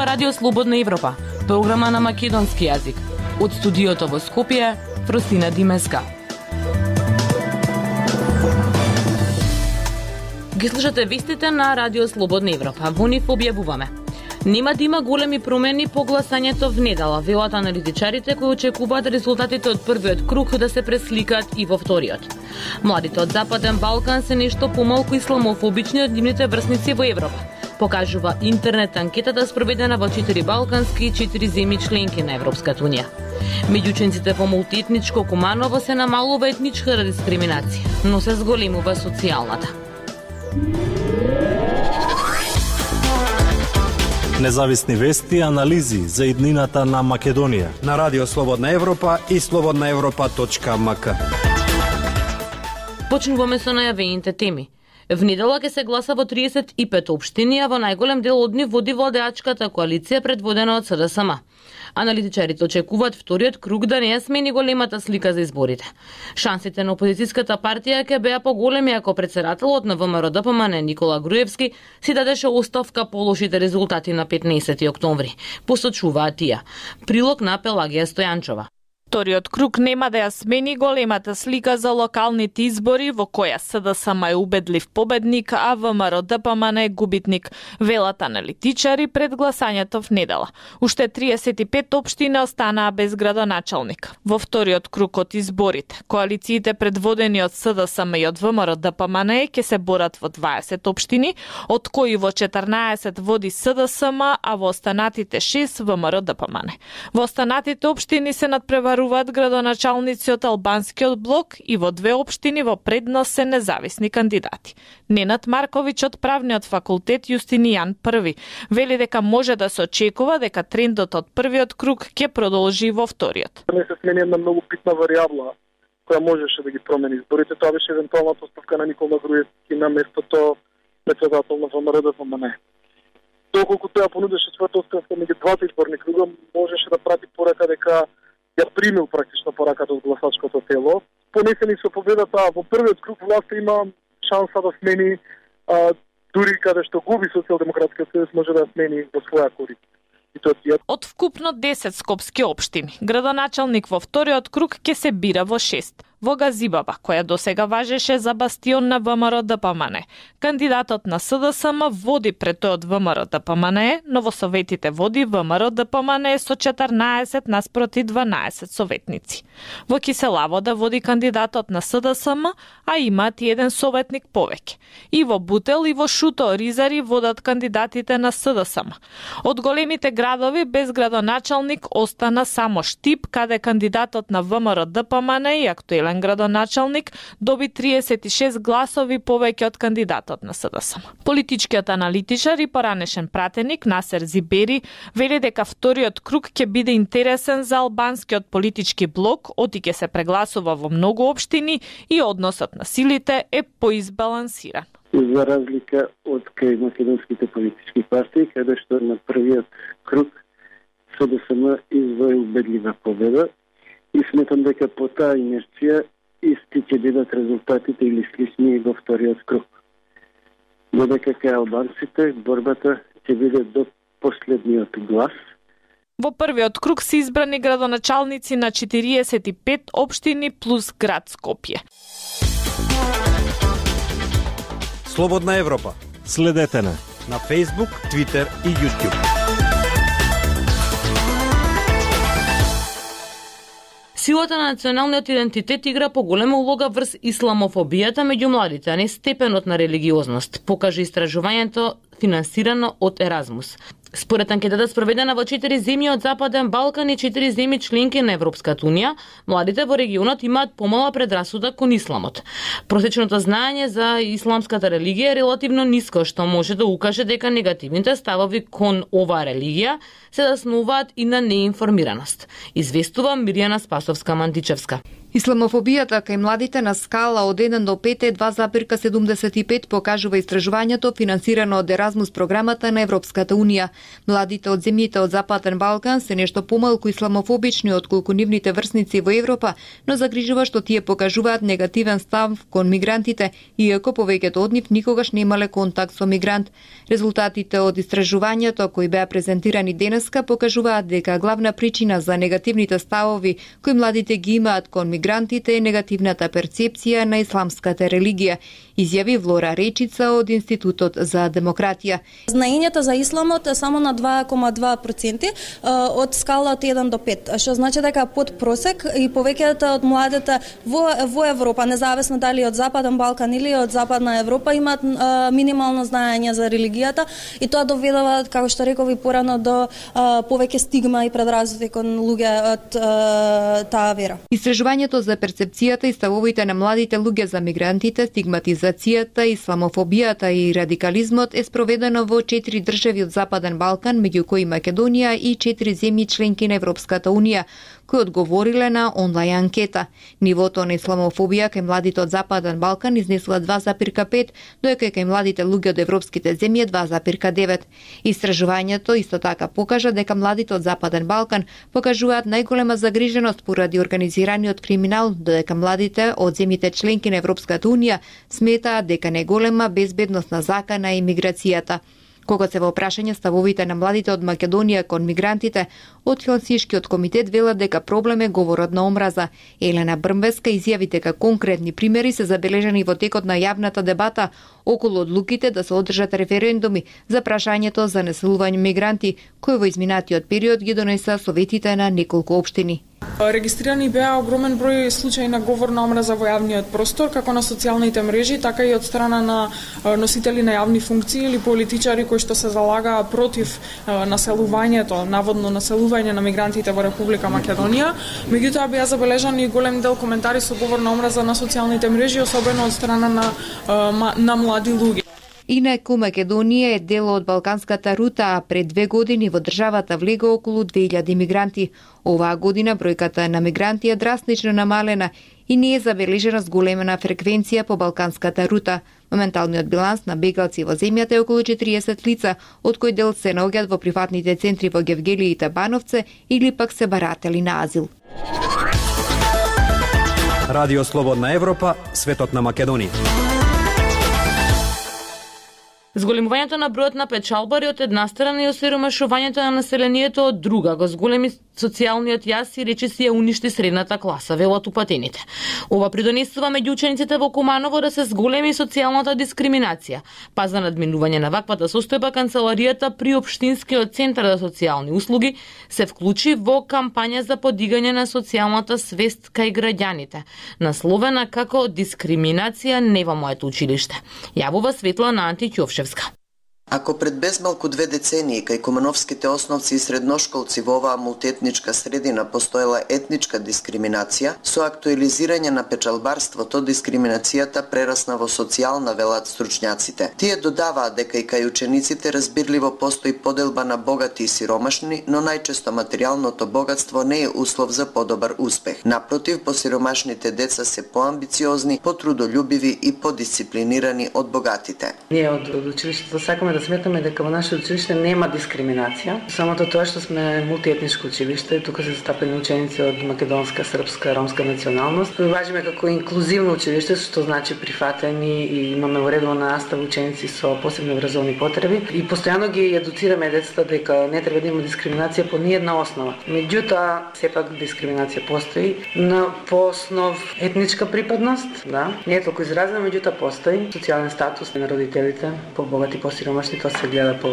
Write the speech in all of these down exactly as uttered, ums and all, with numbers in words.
ова Радио Слободна Европа, програма на македонски јазик. Од студиото во Скопје, Фростина Димеска. Ги слушате вестите на Радио Слободна Европа. Во нив објавуваме: нема да има големи промени по гласањето в недела, велат аналитичарите кои очекуваат резултатите од првиот круг да се пресликаат и во вториот. Младите од Западен Балкан се нешто помалку исламофобични од нивните врсници во Европа, покажува интернет анкетата спроведена во четири балкански и четири земји членки на Европската унија. Меѓу учениците во мултиетничко Куманово се намалува етничката дискриминација, но се зголемува социјалната. Независни вести и анализи за иднината на Македонија на Радио Слободна Европа и слободна европа точка ем ка. Почнуваме со најавените теми. В недела ќе се гласа во триесет и пет општини, а во најголем дел од нив води владеачката коалиција предводена од С Д С М. Аналитичарите очекуваат вториот круг да не ја смени големата слика за изборите. Шансите на опозицијската партија ќе беа поголеми ако председателот на В М Р Д П М Н Никола Груевски си дадеше оставка по лошите резултати на петнаесети октомври, посочуваат тие. Прилог на Пелагија Стојанчова. Вториот круг нема да ја смени големата слика за локалните избори во која С Д С М е убедлив победник, а В М Р Д П М Н е губитник, велат аналитичари пред гласањето в недела. Уште триесет и пет општини останаа без градоначалник. Во вториот круг од изборите, коалициите предводени од С Д С М и од В М Р Д П М Н ќе се борат во дваесет општини, од кои во четрнаесет води С Д С М, а во останатите шест В М Р Д П М Н. Во останатите општини се надпреваруваат градоначалници од албанскиот блок и во две општини во предност се независни кандидати. Ненад Марковиќ од правниот факултет Јустинијан Први вели дека може да се очекува дека трендот од првиот круг ќе продолжи во вториот. Не се смени една многу битна варијабла која можеше да ги промени изборите. Тоа беше евентуалната оставка на Никола Груевски на местото председател на В М Р Д П М Н. Доколку тоа понудеше својата оставка меѓу двата изборни круга, можеше да прати порака дека ја примил практично пораката од гласачкото тело. Понесени со победата во првиот круг, власта има шанса да смени, а, дури каде што губи Социјалдемократскиот сојуз, може да ја смени во своја корист. Од вкупно десет скопски општини, градоначалник во вториот круг ќе се бира во шест. Во Газибаба, која досега важеше за бастион на В М Р Д П М Н, кандидатот на С Д С М води пред тој од В М Р Д П М Н, но во советите води В М Р Д П М Н со четрнаесет наспроти дванаесет советници. Во Киселавода води кандидатот на С Д С М, а имаат и еден советник повеќе. И во Бутел и во Шуто Ризари водат кандидатите на С Д С М. Од големите градови без градоначалник остана само Штип, каде кандидатот на В М Р Д П М Н и актуелен градоначалник доби триесет и шест гласови повеќе од кандидатот на С Д С М. Политичкиот аналитичар и поранешен пратеник Насер Зибери вели дека вториот круг ќе биде интересен за албанскиот политички блок, оти ќе се прегласува во многу општини и односот на силите е поизбалансиран. За разлика од кај македонските политички партии, каде што на првиот круг С Д С М извои убедлива победа, и сметам дека по таа инерција исти ќе бидат резултатите или слични во вториот круг. Додека кај албанците борбата ќе биде до последниот глас. Во првиот круг се избрани градоначалници на четириесет и пет општини плюс град Скопје. Слободна Европа. Следете на на Facebook, Twitter и YouTube. Силата на националниот идентитет игра поголема улога врз исламофобијата меѓу младите, а не степенот на религиозност, покажа истражувањето финансирано од Еразмус. Според анкетата спроведена во четири земји од Западен Балкан и четири земји членки на Европската унија, младите во регионот имаат помала предрасуда кон исламот. Просечното знаење за исламската религија е релативно ниско, што може да укаже дека негативните ставови кон оваа религија се заснуваат и на неинформираност, известува Мирјана Спасовска-Мантичевска. Исламофобијата кај младите на скала од еден до пет е два запирка седумдесет и пет, покажува истражувањето финансирано од Еразмус програмата на Европската унија. Младите од земјите од Западен Балкан се нешто помалку исламофобични отколку нивните врсници во Европа, но загрижува што тие покажуваат негативен став кон мигрантите, иако повеќето од нив никогаш немале контакт со мигрант. Резултатите од истражувањето кои беа презентирани денеска покажуваат дека главна причина за негативните ставови кои младите ги имаат кон мигрантите е негативната перцепција на исламската религија, изјави Влора Речица од Институтот за демократија. Знаењето за исламот е само на два кома два проценти од скала од еден до пет, што значи дека под просек и повеќето од младите во, во Европа, независно дали од Западен Балкан или од Западна Европа, имаат минимално знаење за религијата и тоа доведува, како што реков и порано, до повеќе стигма и предразсудки кон луѓе од таа вера. Истражувањето за перцепцијата и ставовите на младите луѓе за мигрантите, стигматизацијата, исламофобијата и радикализмот е спроведено во четири држави од Западен Балкан, меѓу кои Македонија и четири земји членки на Европската унија, кои одговориле на онлайн анкета. Нивото на исламофобија кај младите од Западен Балкан изнесува два запирка пет, додека кај младите луѓе од европските земји два запирка девет. Истражувањето исто така покажа дека младите од Западен Балкан покажуваат најголема загриженост поради организираниот криминал, додека младите од земјите членки на Европската унија сметаат дека не голема безбедност на закана и миграцијата. Кога се во прашање ставовите на младите од Македонија кон мигрантите, од Хелсиншкиот комитет велат дека проблем е говорот на омраза. Елена Брмбеска изјави дека конкретни примери се забележани во текот на јавната дебата околу одлуките да се одржат референдуми за прашањето за населување мигранти, кои во изминатиот период ги донеса советите на неколку општини. Регистрирани беа огромен број случаи на говор на омраза во јавниот простор, како на социјалните мрежи, така и од страна на носители на јавни функции или политичари кои што се залагаа против населувањето, наводно населување на мигрантите во Република Македонија. Меѓутоа беа забележани голем дел коментари со говор на омраза на социјалните мрежи, особено од страна на на млади луѓе. Инаку Македонија е дел од Балканската рута, а пред две години во државата влега околу две илјади мигранти. Оваа година бројката на мигранти е драстично намалена и не е забележена зголемена фреквенција по Балканската рута. Моменталниот биланс на бегалци во земјата е околу четириесет лица, од кои дел се наоѓаат во приватните центри во Гевгелија и Табановце или пак се баратели на азил. Радио Слободна Европа, светот на Македонија. Зголемувањето на бројот на печалбари од една страна и осиромашувањето на населението од друга го зголеми социјалниот јас и речиси ја уништи средната класа, велат упатените. Ова придонесува меѓу учениците во Куманово да се зголеми социјалната дискриминација. Па за надминување на ваквата состојба канцеларијата при Општинскиот центар за социјални услуги се вклучи во кампања за подигање на социјалната свест кај граѓаните, насловена како дискриминација не во моето училиште. Јавува Светлана Антиќовшевска. Ако пред безмалку две децении кај кумановските основци и средношколци во оваа мултиетничка средина постоела етничка дискриминација, со актуализирање на печалбарството дискриминацијата прерасна во социјална, велат стручњаците. Тие додаваат дека и кај учениците разбирливо постои поделба на богати и сиромашни, но најчесто материјалното богатство не е услов за подобар успех. Напротив, посиромашните деца се поамбициозни, потрудолюбиви и подисциплинирани од богатите. Ние од училиштето сакаме да сметаме дека во наше училиште нема дискриминација. Самото тоа што сме мултиетничко училиште, тука се застапени ученици од македонска, српска, ромска националност. Важиме како инклузивно училиште, што значи прифатени и имаме уредовна настава ученици со посебни образовни потреби и постојано ги едуцираме децата дека не треба да има дискриминација по ниедна основа. Меѓутоа, сепак дискриминација постои на по основ етничка припадност, да, не е толку изразена, меѓутоа постои социјален статус на родителите, побогати, посиромашни. Тоа се гледа по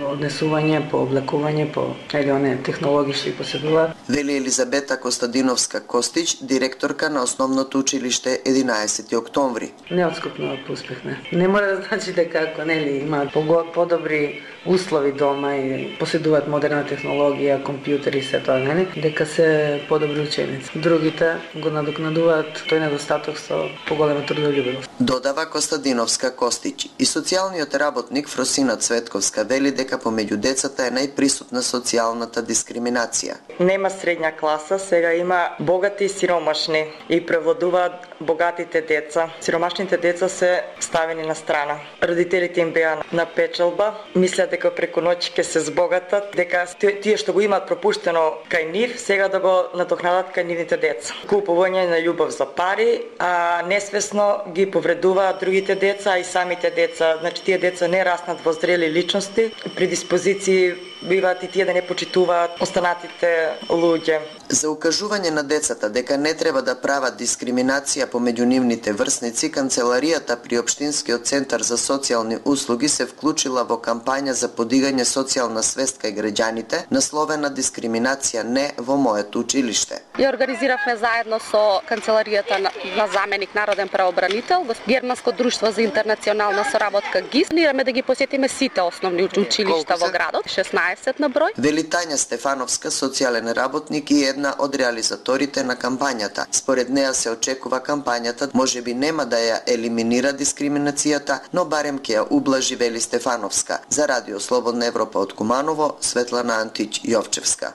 однесување, по облекување, по или оне технологии што ги поседуваат. Вели Елизабета Костадиновска Костич, директорка на основното училиште единаесети октомври. Неотскупно успехне. Не мора да значи дека ако нели имаат подобри услови дома и поседуваат модерна технологија, компјутери и се тоа, нели, дека се подобри ученици. Другите го надокнадуваат тој недостаток со поголема трудолюбивост. Додава Костадиновска Костич. И социјалниот работник Фрос Росина Цветковска вели дека помеѓу децата е најприсутна социјалната дискриминација. Нема средња класа, сега има богати и сиромашни и превладуваат богатите деца. Сиромашните деца се ставени на страна. Родителите им беа на печалба, мислат дека преку ноќ ќе се збогатат, дека тие што го имаат пропуштено кај нив, сега да го надокнадат кај нивните деца. Купување на љубов за пари, а несвесно ги повредуваат другите деца и самите деца. Значи тие деца не раснат во зрели личности, предиспозиции биваат и тие да не почитуваат останатите луѓе. За укажување на децата дека не треба да прават дискриминација помеѓу нивните врсници, Канцеларијата при Општинскиот центар за социјални услуги се вклучила во кампања за подигање социјална свест кај граѓаните, насловена "Дискриминација не во моето училиште". Ја организиравме заедно со Канцеларијата на, на заменик народен правобранител, Германско друштво за интернационална соработка ГИС. Планираме да ги посетиме сите основни училишта во градот, шеснаесет на број. Вели Тања Стефановска, социјален работник и една од реализаторите на кампањата. Според неа се очекува кампањата можеби нема да ја елиминира дискриминацијата, но барем ќе ја ублажи, вели Стефановска. За Радио Слободна Европа од Куманово, Светлана Антич Јовчевска.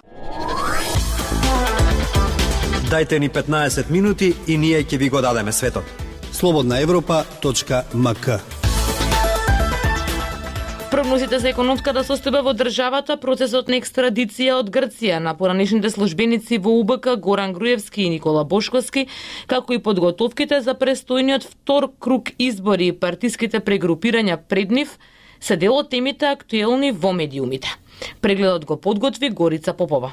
Дајте ни петнаесет минути и ние ќе ви го дадеме светот. слободна европа точка ем ка. Прогнозите за економската состојба во државата, процесот на екстрадиција од Грција на поранешните службеници во У Б К Горан Груевски и Никола Бошковски, како и подготовките за престојниот втор круг избори и партиските прегрупирања пред нив, се дел од темите актуелни во медиумите. Прегледот го подготви Горица Попова.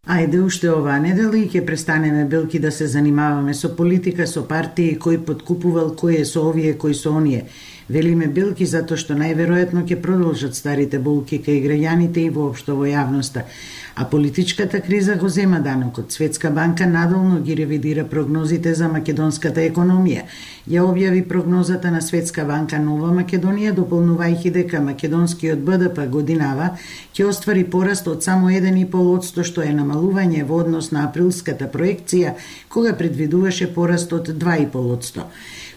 Ајде уште оваа недела и ќе престанеме белки да се занимаваме со политика, со партии, кој подкупувал, кој е со овие, кој со оние. Велиме белки затоа што најверојатно ќе продолжат старите болки кај граѓаните и воопшто во јавноста. А политичката криза го зема данокот. Светска банка надолно ги ревидира прогнозите за македонската економија. Ја објави прогнозата на Светска банка Нова Македонија, дополнувајќи дека македонскиот Б Д П годинава ќе оствари пораст од само еден и пол одсто, што е намалување во однос на априлската проекција, кога предвидуваше пораст од два и пол одсто.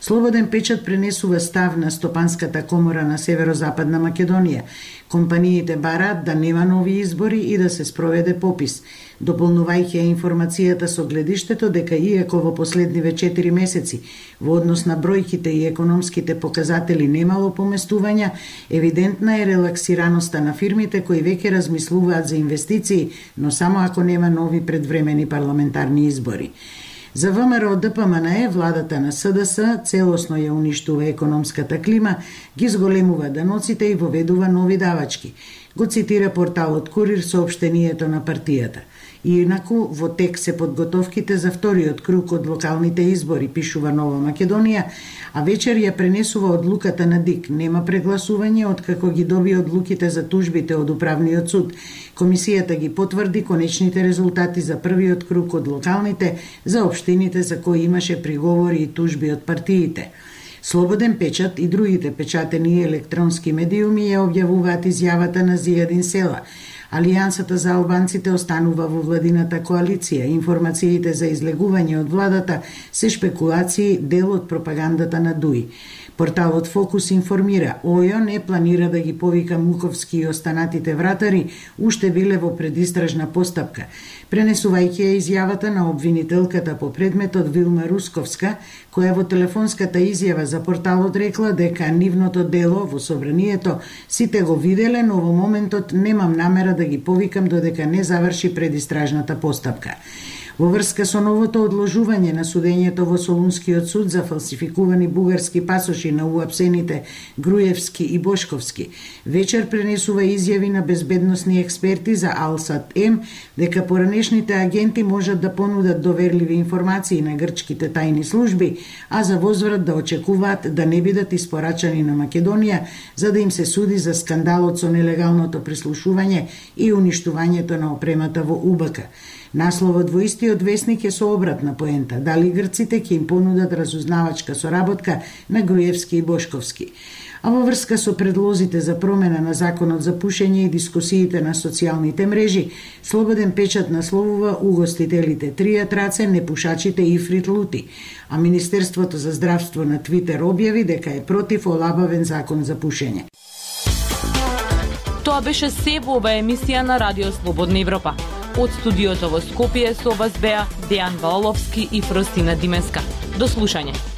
Слободен печат пренесува став на Стопанската комора на Северозападна Македонија. Компаниите бараат да нема нови избори и да се спроведе попис, дополнувајќи ја информацијата со гледиштето дека иако во последниве четири месеци во однос на бројките и економските показатели немало поместувања, евидентна е релаксираноста на фирмите кои веќе размислуваат за инвестиции, но само ако нема нови предвремени парламентарни избори. За В М Р Д П М Н Е, владата на С Д С целосно ја уништува економската клима, ги зголемува даноците и воведува нови давачки, го цитира порталот Курир соопштението на партијата. И инаку во тек се подготовките за вториот круг од локалните избори, пишува Нова Македонија, а вечер ја пренесува одлуката на ДИК. Нема прегласување откако ги доби одлуките за тужбите од управниот суд. Комисијата ги потврди конечните резултати за првиот круг од локалните, за општините за кои имаше приговори и тужби од партиите. Слободен печат и другите печатени електронски медиуми ја објавуваат изјавата на Зијадин Села. Алијансата за албанците останува во владината коалиција. Информациите за излегување од владата се шпекулации, дел од пропагандата на Дуи. Порталот Фокус информира, ОЈО не планира да ги повика Муковски и останатите вратари, уште биле во предистражна постапка. Пренесувајќи ја изјавата на обвинителката по предметот Вилма Русковска, која во телефонската изјава за порталот рекла дека нивното дело во собранието сите го виделе, но во моментот немам намера да ги повикам додека не заврши предистражната постапка. Во врска со новото одложување на судењето во Солунскиот суд за фалсификувани бугарски пасоши на уапсените Груевски и Бошковски, вечер пренесува изјави на безбедносни експерти за Алсат-М дека поранешните агенти можат да понудат доверливи информации на грчките тајни служби, а за возврат да очекуваат да не бидат испорачани на Македонија за да им се суди за скандалот со нелегалното прислушување и уништувањето на опремата во У Б К. Насловот во истиот весник е со обратна поента, дали грците ќе им понудат разузнавачка соработка на Груевски и Бошковски. А во врска со предлозите за промена на законот за пушење и дискусиите на социјалните мрежи, Слободен печат насловува угостителите тријат раце, непушачите и фритлути, а Министерството за здравство на Твитер објави дека е против олабавен закон за пушење. Тоа беше се во оваа емисија на Радио Слободна Европа. Од студиото во Скопје со вас беа Дејан Валовски и Фростина Димеска. До слушање.